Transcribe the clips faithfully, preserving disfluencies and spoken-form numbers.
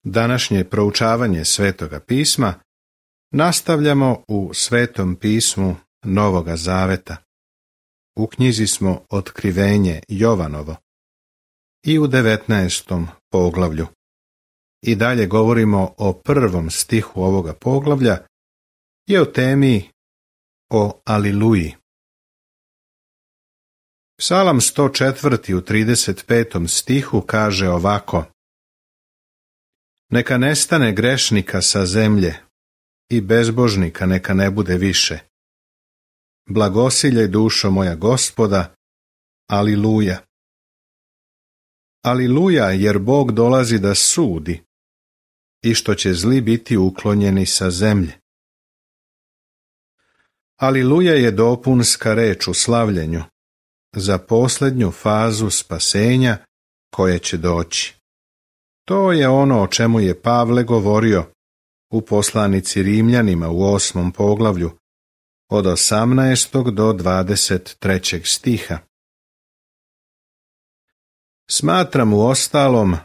Današnje proučavanje Svetoga pisma nastavljamo u Svetom pismu Novoga Zaveta. U knjizi smo Otkrivenje Jovanovo i u devetnaestom poglavlju. I dalje govorimo o prvom stihu ovoga poglavlja i o temi o Aliluji. Psalam sto četiri u trideset petom stihu kaže ovako: Neka nestane grešnika sa zemlje i bezbožnika neka ne bude više. Blagosiljaj dušo moja Gospoda, Aliluja. Aliluja, jer Bog dolazi da sudi i što će zli biti uklonjeni sa zemlje. Aliluja je dopunska reč u slavljenju za posljednju fazu spasenja koje će doći. To je ono o čemu je Pavle govorio u poslanici Rimljanima u osmom poglavlju od osamnaestog do dvadeset trećeg stiha. Smatram uostalom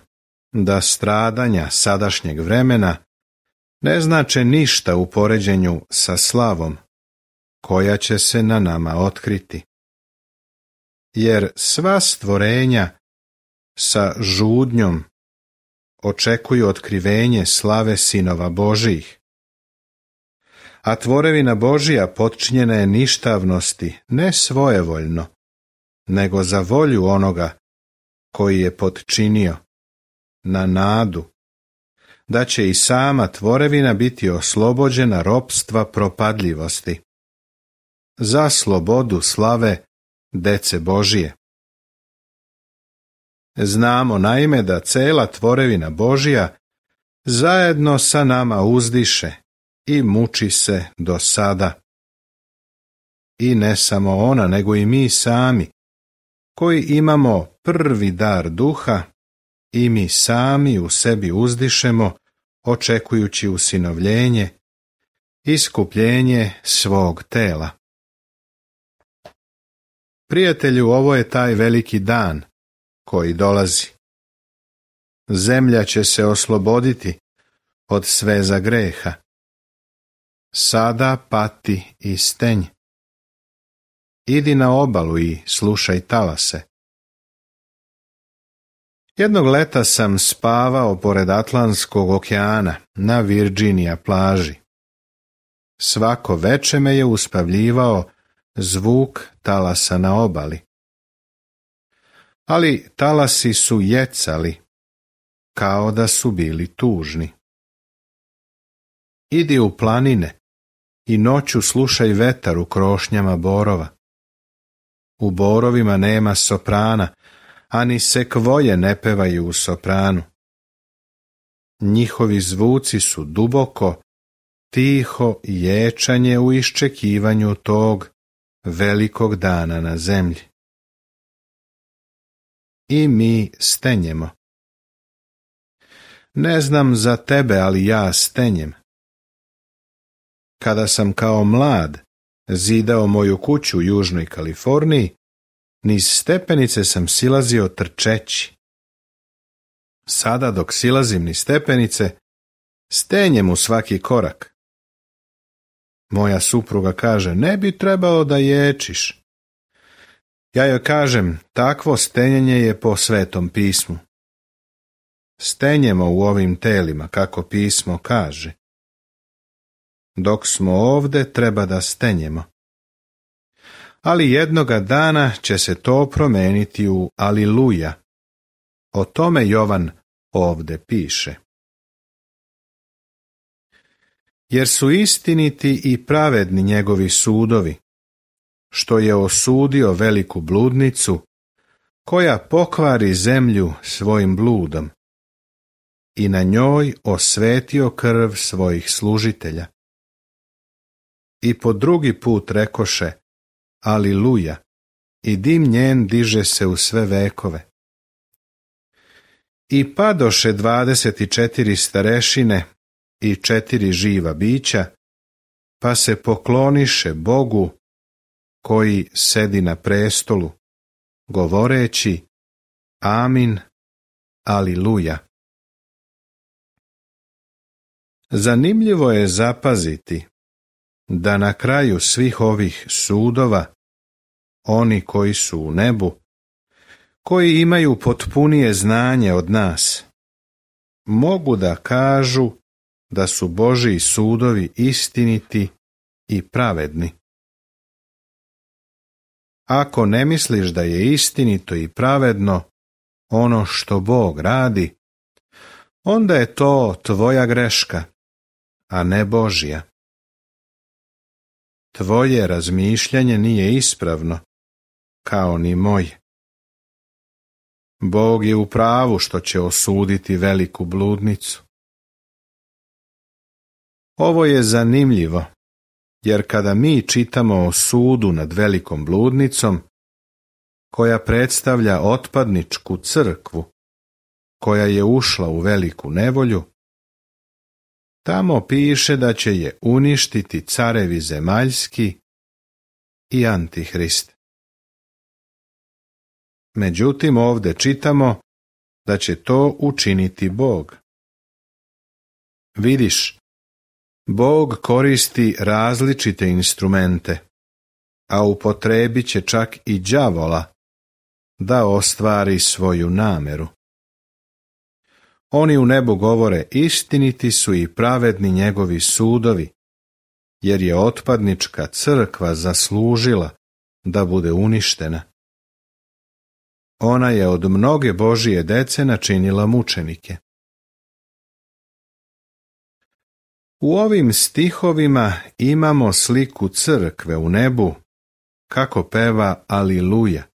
da stradanja sadašnjeg vremena ne znače ništa u poređenju sa slavom koja će se na nama otkriti. Jer sva stvorenja sa žudnjom očekuju otkrivenje slave sinova Božijih. A tvorevina Božija potčinjena je ništavnosti ne svojevoljno, nego za volju onoga koji je potčinio, na nadu, da će i sama tvorevina biti oslobođena ropstva propadljivosti, za slobodu slave dece Božije. Znamo naime da cela tvorevina Božija zajedno sa nama uzdiše i muči se do sada. I ne samo ona, nego i mi sami, koji imamo prvi dar duha, i mi sami u sebi uzdišemo, očekujući usinovljenje, iskupljenje svog tela. Prijatelju, ovo je taj veliki dan koji dolazi. Zemlja će se osloboditi od sveza greha. Sada pati i stenj. Idi na obalu i slušaj talase. Jednog leta sam spavao pored Atlantskog okeana na Virginija plaži. Svako veče me je uspavljivao zvuk talasa na obali. Ali talasi su jecali, kao da su bili tužni. Idi u planine i noću slušaj vetar u krošnjama borova. U borovima nema soprana, ani sekvoje ne pevaju u sopranu. Njihovi zvuci su duboko, tiho ječanje u iščekivanju tog velikog dana na zemlji. I mi stenjemo. Ne znam za tebe, ali ja stenjem. Kada sam kao mlad zidao moju kuću u Južnoj Kaliforniji, niz stepenice sam silazio trčeći. Sada dok silazim niz stepenice, stenjem u svaki korak. Moja supruga kaže, ne bi trebalo da ječiš. Ja joj kažem, takvo stenjenje je po Svetom pismu. Stenjemo u ovim telima, kako pismo kaže. Dok smo ovde, treba da stenjemo. Ali jednoga dana će se to promeniti u Aliluja. O tome Jovan ovde piše. Jer su istiniti i pravedni njegovi sudovi, što je osudio veliku bludnicu, koja pokvari zemlju svojim bludom, i na njoj osvetio krv svojih služitelja. I po drugi put rekoše, Aliluja, i dim njen diže se u sve vekove. I padoše dvadeset četiri starešine i četiri živa bića, pa se pokloniše Bogu koji sedi na prestolu, govoreći Amin, Aliluja. Zanimljivo je zapaziti da na kraju svih ovih sudova oni koji su u nebu, koji imaju potpunije znanje od nas, mogu da kažu da su Božji sudovi istiniti i pravedni. Ako ne misliš da je istinito i pravedno ono što Bog radi, onda je to tvoja greška, a ne Božja. Tvoje razmišljanje nije ispravno, kao ni moje. Bog je u pravu što će osuditi veliku bludnicu. Ovo je zanimljivo, jer kada mi čitamo o sudu nad velikom bludnicom, koja predstavlja otpadničku crkvu, koja je ušla u veliku nevolju, tamo piše da će je uništiti carevi zemaljski i Antihrist. Međutim, ovdje čitamo da će to učiniti Bog. Vidiš, Bog koristi različite instrumente, a upotrebit će čak i đavola da ostvari svoju nameru. Oni u nebu govore, istiniti su i pravedni njegovi sudovi, jer je otpadnička crkva zaslužila da bude uništena. Ona je od mnoge Božije dece načinila mučenike. U ovim stihovima imamo sliku crkve u nebu, kako peva Aliluja.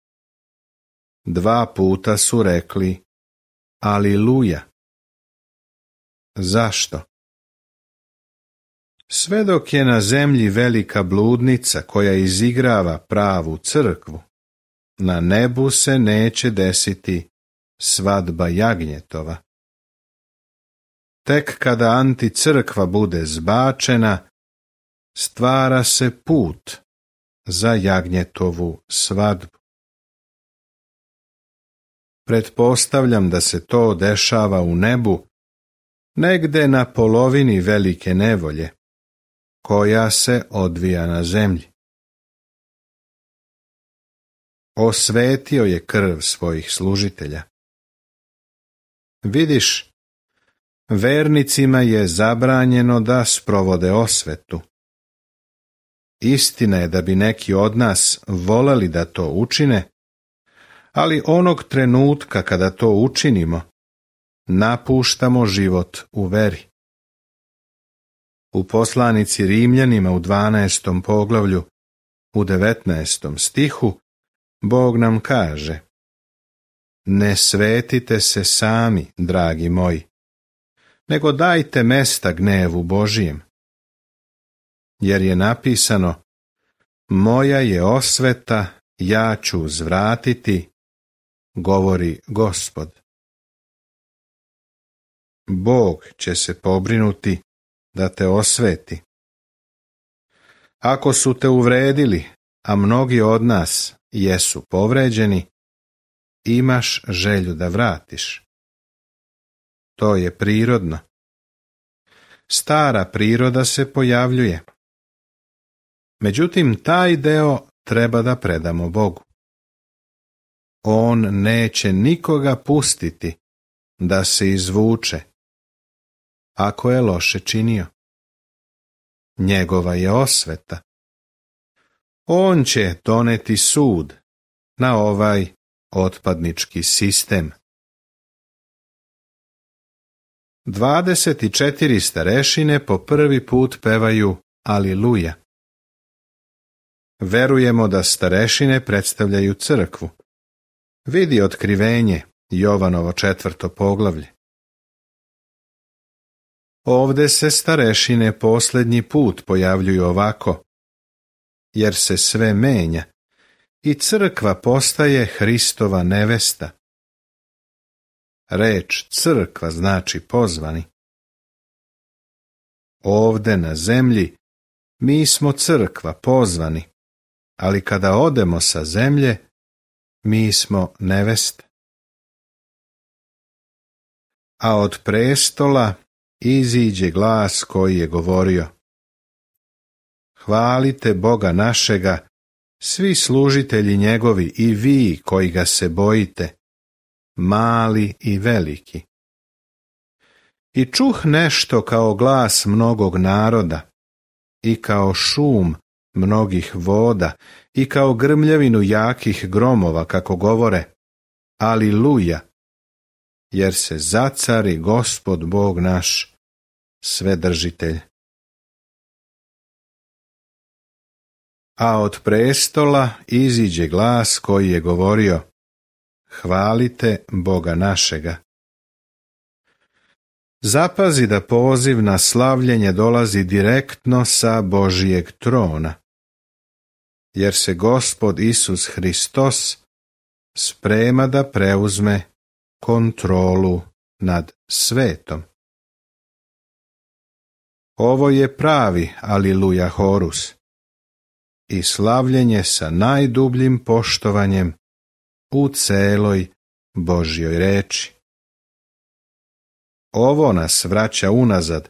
Dva puta su rekli Aliluja. Zašto? Sve dok je na zemlji velika bludnica koja izigrava pravu crkvu, na nebu se neće desiti svadba jagnjetova. Tek kada anticrkva bude zbačena, stvara se put za jagnjetovu svadbu. Pretpostavljam da se to dešava u nebu, negde na polovini velike nevolje, koja se odvija na zemlji. Osvetio je krv svojih služitelja. Vidiš, vernicima je zabranjeno da sprovode osvetu. Istina je da bi neki od nas voleli da to učine, ali onog trenutka kada to učinimo, napuštamo život u veri. U poslanici Rimljanima u dvanaestom poglavlju, u devetnaestom stihu, Bog nam kaže: ne svetite se sami, dragi moji, nego dajte mesta gnevu Božijem. Jer je napisano: moja je osveta, ja ću uzvratiti, govori Gospod. Bog će se pobrinuti da te osveti. Ako su te uvredili, a mnogi od nas jesu povređeni, imaš želju da vratiš. To je prirodno. Stara priroda se pojavljuje. Međutim, taj deo treba da predamo Bogu. On neće nikoga pustiti da se izvuče, ako je loše činio. Njegova je osveta. On će doneti sud na ovaj otpadnički sistem. Dvadeset četiri starešine po prvi put pevaju Aliluja. Verujemo da starešine predstavljaju crkvu. Vidi Otkrivenje, Jovanovo četvrto poglavlje. Ovde se starešine posljednji put pojavljuju ovako, jer se sve menja i crkva postaje Hristova nevesta. Reč crkva znači pozvani. Ovde na zemlji mi smo crkva pozvani, ali kada odemo sa zemlje, mi smo neveste. A od prestola iziđe glas koji je govorio: Hvalite Boga našega, svi služitelji njegovi i vi koji ga se bojite, mali i veliki. I čuh nešto kao glas mnogog naroda, i kao šum mnogih voda, i kao grmljavinu jakih gromova, kako govore: Aliluja, jer se zacari Gospod Bog naš, Svedržitelj. A od prestola iziđe glas koji je govorio: Hvalite Boga našega. Zapazi da poziv na slavljenje dolazi direktno sa Božijeg trona, jer se Gospod Isus Hristos sprema da preuzme kontrolu nad svetom. Ovo je pravi Aliluja horus i slavljenje sa najdubljim poštovanjem u celoj Božjoj reči. Ovo nas vraća unazad,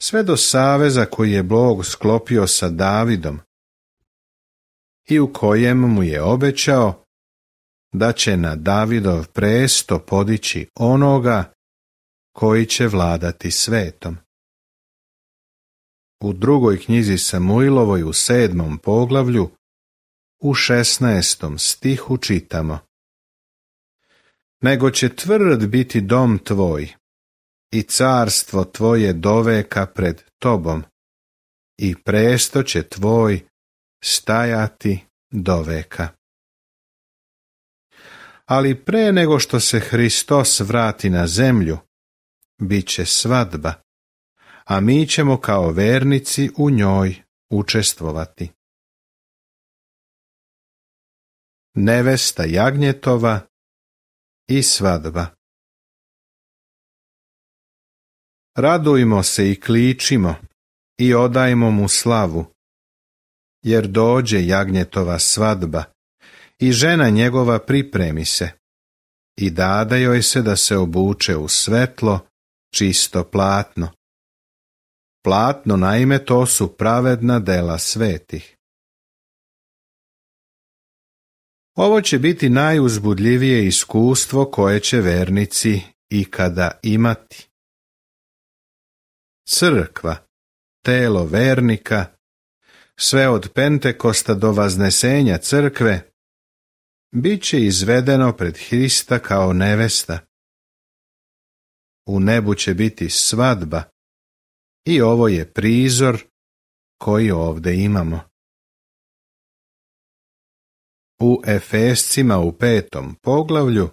sve do saveza koji je Bog sklopio sa Davidom i u kojem mu je obećao da će na Davidov presto podići onoga koji će vladati svetom. U drugoj knjizi Samuilovoj u sedmom poglavlju u šesnaestom stihu čitamo: Nego će tvrd biti dom tvoj i carstvo tvoje doveka pred tobom i presto će tvoj stajati doveka. Ali pre nego što se Hristos vrati na zemlju, bit će svadba, a mi ćemo kao vernici u njoj učestvovati. Nevesta jagnjetova i svadba. Radujmo se i kličimo i odajmo mu slavu, jer dođe jagnjetova svadba i žena njegova pripremi se i dade joj se da se obuče u svetlo, čisto platno. Platno, naime, to su pravedna dela svetih. Ovo će biti najuzbudljivije iskustvo koje će vernici ikada imati. Crkva, telo vernika, sve od Pentekosta do vaznesenja crkve, bit će izvedeno pred Hrista kao nevesta. U nebu će biti svadba i ovo je prizor koji ovdje imamo. U Efescima u petom poglavlju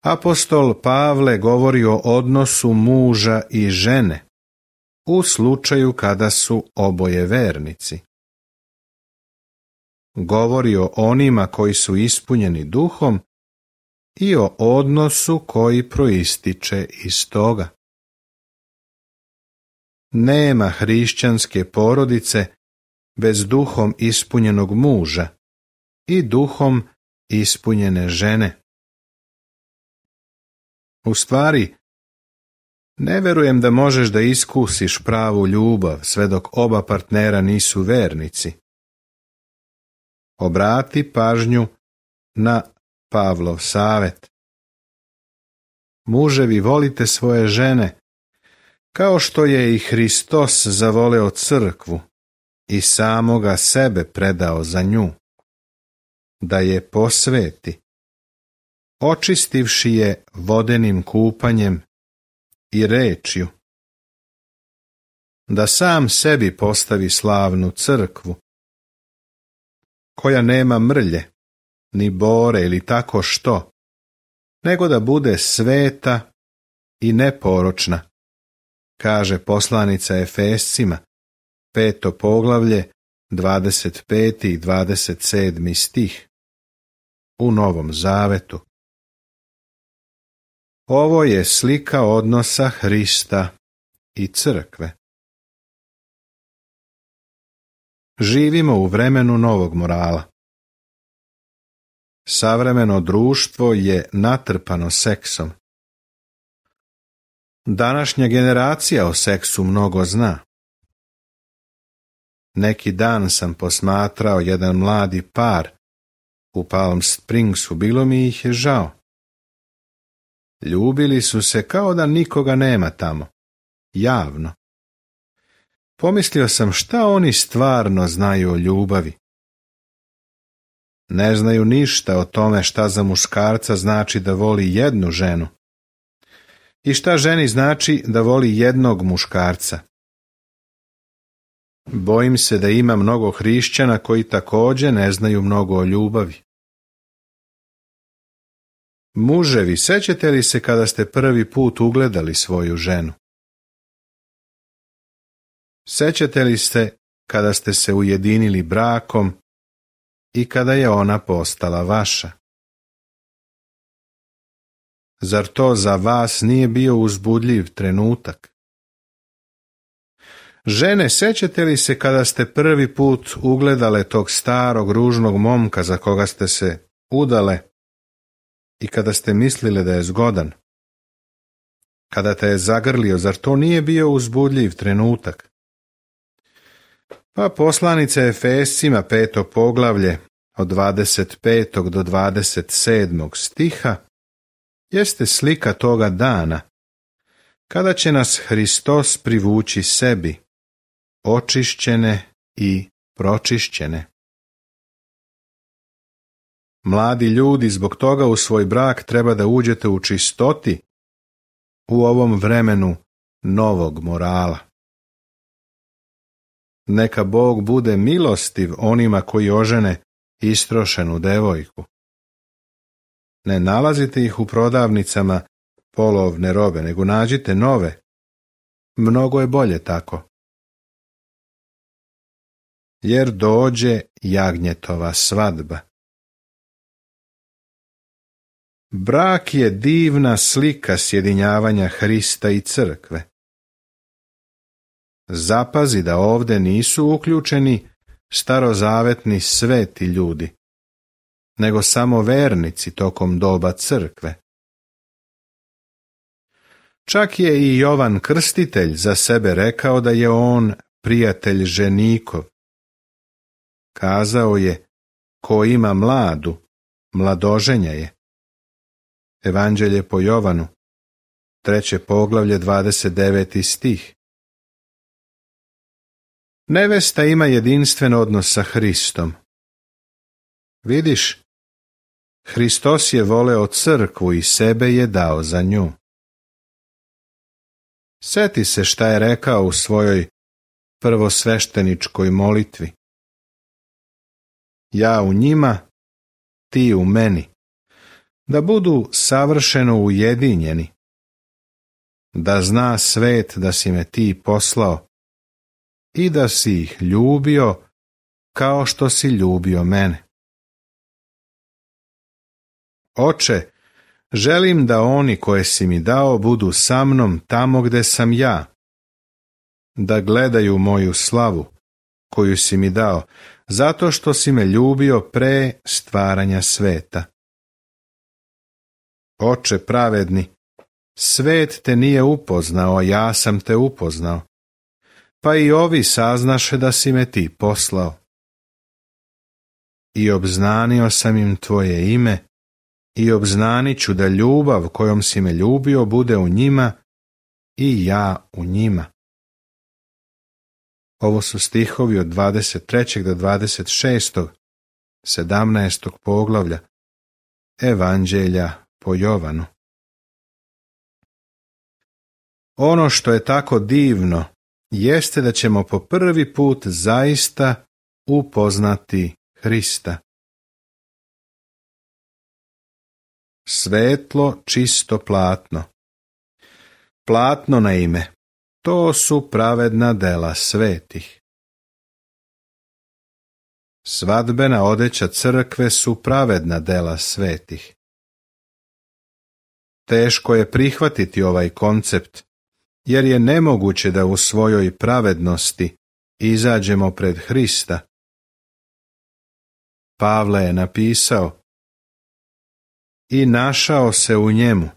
apostol Pavle govori o odnosu muža i žene u slučaju kada su oboje vernici. Govori o onima koji su ispunjeni duhom i o odnosu koji proističe iz toga. Nema hrišćanske porodice bez duhom ispunjenog muža i duhom ispunjene žene. U stvari, ne verujem da možeš da iskusiš pravu ljubav sve dok oba partnera nisu vernici. Obrati pažnju na Pavlov savet. Muževi, volite svoje žene, kao što je i Hristos zavoleo crkvu i samoga sebe predao za nju, da je posveti, očistivši je vodenim kupanjem i rečju, da sam sebi postavi slavnu crkvu, koja nema mrlje, ni bore ili tako što, nego da bude sveta i neporočna, kaže poslanica Efescima, peto poglavlje, dvadeset peti i dvadeset sedmi stih, u Novom Zavetu. Ovo je slika odnosa Hrista i crkve. Živimo u vremenu novog morala. Savremeno društvo je natrpano seksom. Današnja generacija o seksu mnogo zna. Neki dan sam posmatrao jedan mladi par u Palm Springsu, bilo mi ih je žao. Ljubili su se kao da nikoga nema tamo, javno. Pomislio sam šta oni stvarno znaju o ljubavi. Ne znaju ništa o tome šta za muškarca znači da voli jednu ženu i šta ženi znači da voli jednog muškarca. Bojim se da ima mnogo hrišćana koji također ne znaju mnogo o ljubavi. Muževi, sećate li se kada ste prvi put ugledali svoju ženu? Sećate li se kada ste se ujedinili brakom i kada je ona postala vaša? Zar to za vas nije bio uzbudljiv trenutak? Žene, sećate li se kada ste prvi put ugledale tog starog ružnog momka za koga ste se udale i kada ste mislile da je zgodan? Kada te je zagrlio, zar to nije bio uzbudljiv trenutak? Pa poslanica Efescima peto poglavlje od dvadeset petog do dvadeset sedmog stiha jeste slika toga dana kada će nas Hristos privući sebi, očišćene i pročišćene. Mladi ljudi, zbog toga u svoj brak treba da uđete u čistoti u ovom vremenu novog morala. Neka Bog bude milostiv onima koji ožene istrošenu devojku. Ne nalazite ih u prodavnicama polovne robe, nego nađite nove. Mnogo je bolje tako. Jer dođe jagnjetova svadba. Brak je divna slika sjedinjavanja Hrista i crkve. Zapazi da ovdje nisu uključeni starozavetni sveti ljudi, nego samo vernici tokom doba crkve. Čak je i Jovan Krstitelj za sebe rekao da je on prijatelj ženikov. Kazao je, ko ima mladu, mladoženja je. Evanđelje po Jovanu, treće poglavlje, dvadeset deveti stih. Nevesta ima jedinstven odnos sa Hristom. Vidiš, Hristos je voleo crkvu i sebe je dao za nju. Seti se šta je rekao u svojoj prvosvešteničkoj molitvi. Ja u njima, ti u meni, da budu savršeno ujedinjeni, da zna svet da si me ti poslao i da si ih ljubio kao što si ljubio mene. Oče, želim da oni koje si mi dao budu sa mnom tamo gde sam ja, da gledaju moju slavu koju si mi dao, zato što si me ljubio pre stvaranja sveta. Oče pravedni, svet te nije upoznao, a ja sam te upoznao, pa i ovi saznaše da si me ti poslao. I obznanio sam im tvoje ime i obznanit ću da ljubav kojom si me ljubio bude u njima i ja u njima. Ovo su stihovi od dvadeset trećeg do dvadeset šestog, sedamnaestog poglavlja Evanđelja po Jovanu. Ono što je tako divno jeste da ćemo po prvi put zaista upoznati Hrista. Svetlo, čisto platno. Platno na ime, to su pravedna dela svetih. Svadbena odeća crkve su pravedna dela svetih. Teško je prihvatiti ovaj koncept, jer je nemoguće da u svojoj pravednosti izađemo pred Hrista. Pavle je napisao: i našao se u njemu,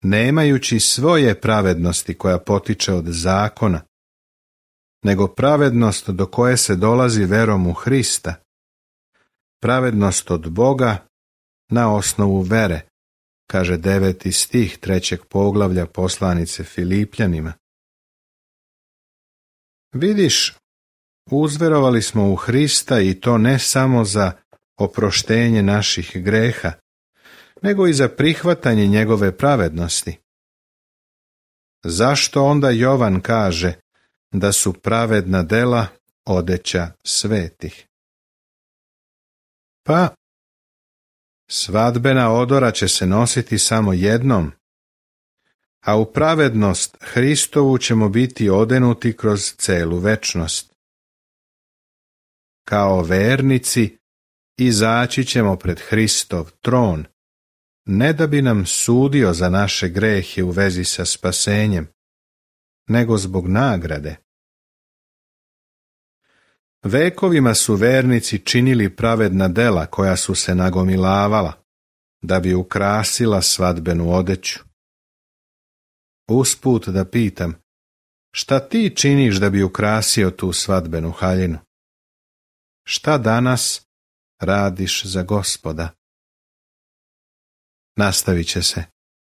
nemajući svoje pravednosti koja potiče od zakona, nego pravednost do koje se dolazi verom u Hrista, pravednost od Boga na osnovu vere, kaže deveti stih trećeg poglavlja poslanice Filipljanima. Vidiš, uzverovali smo u Hrista i to ne samo za oproštenje naših greha, nego i za prihvatanje njegove pravednosti. Zašto onda Jovan kaže da su pravedna dela odeća svetih? Pa, svadbena odora će se nositi samo jednom, a u pravednost Hristovu ćemo biti odenuti kroz celu večnost. Kao vernici izaći ćemo pred Hristov tron, ne da bi nam sudio za naše grehe u vezi sa spasenjem, nego zbog nagrade. Vekovima su vernici činili pravedna dela koja su se nagomilavala, da bi ukrasila svadbenu odeću. Usput da pitam, šta ti činiš da bi ukrasio tu svadbenu haljinu? Šta danas radiš za Gospoda? Nastavit će se